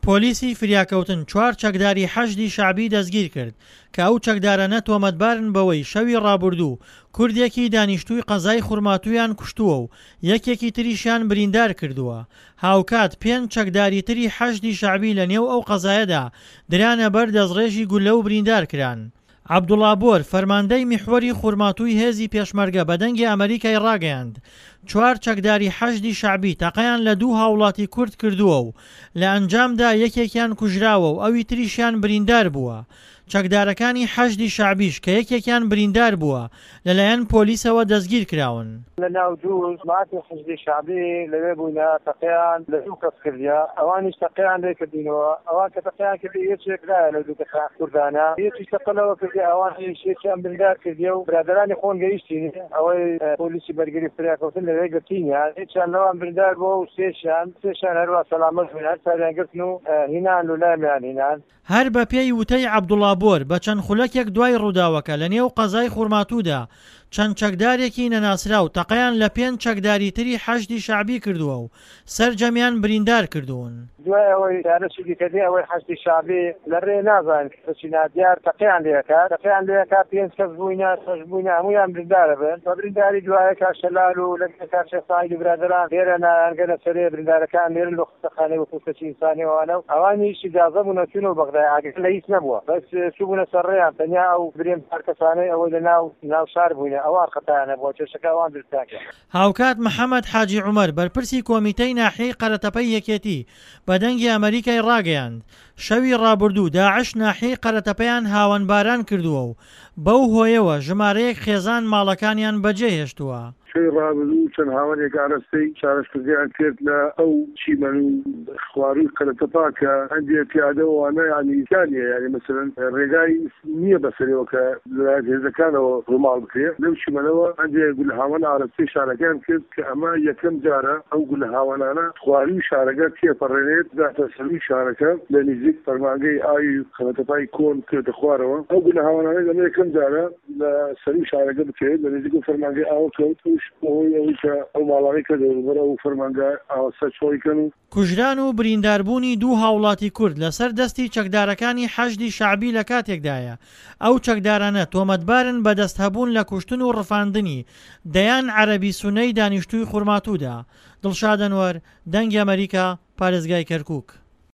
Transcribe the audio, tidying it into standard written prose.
پۆلیسی فریاکەوتن چوار چەکداری حەشدی شەعبی دەستگیرکرد، کە ئەو چەکدارانە تۆمەتبارن بەوەی شەوی ڕابوردوو کوردێکی دانیشتووی قەزای خورماتوویان کوشتووە و یەکێکی تریشیان بریندار کردووە، هاوکات پێنج چەکداری تری حەشدی شەعبی لەنێو ئەو قەزایەدا درانە بەر دەستڕێژی گوللە و بریندار کران. عەبدوڵا بۆر، فەرماندەی میحوەری خورماتووی هێزی پێشمەرگە بە دەنگی ئەمەریکای ڕاگەیاند، چوار چەکداری حەشدی شەعبی تەقەیان لە دوو هاوڵاتی کورد کردووە و لە ئەنجامدا یەکێکیان کوژراوە و ئەوی تریشیان بریندار بووە. چەکدارەکانی حەشدی شەعبیش کە یەکێکیان بریندار بووە، لەلایەن پۆلیسەوە دەستگیرکراون. لە ناو دوو جماعەتی حەشدی شەعبی لەوێ بووینە تەقەیان لە دوو کەس کردیە ئەوانیش تەقەیان لێ کردینەوە ئەوان کە تەقەیان کردی یەکێک لایە لەو دوو کەسە کوردانە یەکیش تەقە لەوە کردی ئەوانیش یەکیان بریندار کردیە و برادەرانی خۆن گەیشتینی ئەوەی پۆلیسی بەرگری فریاکەوتن لەوێ گرتینیان یەکیان لەوان بریندار بووە و سێشیان سێشیان هەروا سەلامەت بوون هەر چاریان گرتن و هینان لولامیان هینان. هەر بەپێی وتەی عەبدوڵا بۆر، بە چەند خولەکێک دوای ڕووداوەکە لە نێو قەزای خورماتوودا چەند چەکدارێکی نەناسراو تەقەیان لە پێنج چەکداری تری حەشدی شەعبی کردووە و سەرجەمیان بریندار کردوون. دوای ئەوەی جارێکی دیکە دێ ئەوەی حەشدی شەعبی لە رێ نازانن کەسێکی نادیار تەقەیان لێ ئەکات، تەقەیان لێ ئەکات پێنج کەس بووینە شەش بووینە هەموویان بریندار ئەبن، بە برینداری دوایە کاک شەلال و لەگەڵ کاک شێخ سەعید و برادەران لێرە نایانگەنە سەرێ بریندارەکان لێرن لۆ خەستەخانەی وەکوو کەسی ئینسانی ئەوانە و ئەوانیش ئیجازە بوونە چوونەوە بەغدای ئاگریان لە هیچ نەبووە بەس چووبوونە سەر ڕێیان تەنیا ئەو برێم چار کەسانەی ئەوەی لە ناو ناو شار بووینە ئەوان خەتایان هەبووە کێشەکە ئەوان دروستیان کرد. هاوکات محەمەد حاجی عومەر بەرپرسی کۆمیتەی ناحیەی قەرەتەپەی یەکێتی بە دەنگی ئەمەریکای ڕاگەیاند، شەوی ڕابردوو داعش ناحیەی قەرەتەپەیان هاوەنباران کردووە و بەو هۆیەوە ژمارەیەک خێزان ماڵەکانیان بەجێهێشتووە. شەوی ڕابردوو چەند هاوەنێک ئاراستەی چارەسکردیان کرد لە ئەو چیمەن و خوارووی قەرەتەپا کە هەندێ پیادە و ئەوانە یانی تیا نییە یانی مەسەلەن ڕێگای نییە بەسەرەوە کە لەلایەن هێزەکانەوە ڕووماڵ بکرێ لەو چیمەنەوە هەندێ گولەهاوەن ئاراستەی شارەکەیان کرد کە ئەمە یەکەم جارە ئەو گولەهاوەنانە خوارووی شارەکە تێپەڕێنێت بگاتە سەرووی شارەکە لە نیزیک فەرمانگەی ئاوی قەرەتەپای کۆن بکەوێتە خوارەوە ئەو گولەهاوەنانەی ئەمە یەکەم جارە لە سەرووی شارەکە بکەوێت لە نزیک ئەو فەرمانگەی ئاوە کەوت ئەویش بەهۆی ئەوەی کە ئەو ماڵانەی کە دەوروبەر ئەو فەرمانگە ئاوە سەر چۆڵی کەن و. کوژران و برینداربوونی دوو هاوڵاتی کورد لەسەر دەستی چەکدارەکانی حەشدی شەعبی لە کاتێکدایە، ئەو چەکدارانە تۆمەتبارن بە دەستهەبوون لە کوشتن و ڕفاندنی دەیان عەرەبی سوننەی دانیشتووی خورماتوودا. دڵشاد ئەنوەر، دەنگی ئەمەریکا، پارێزگای کەرکوک.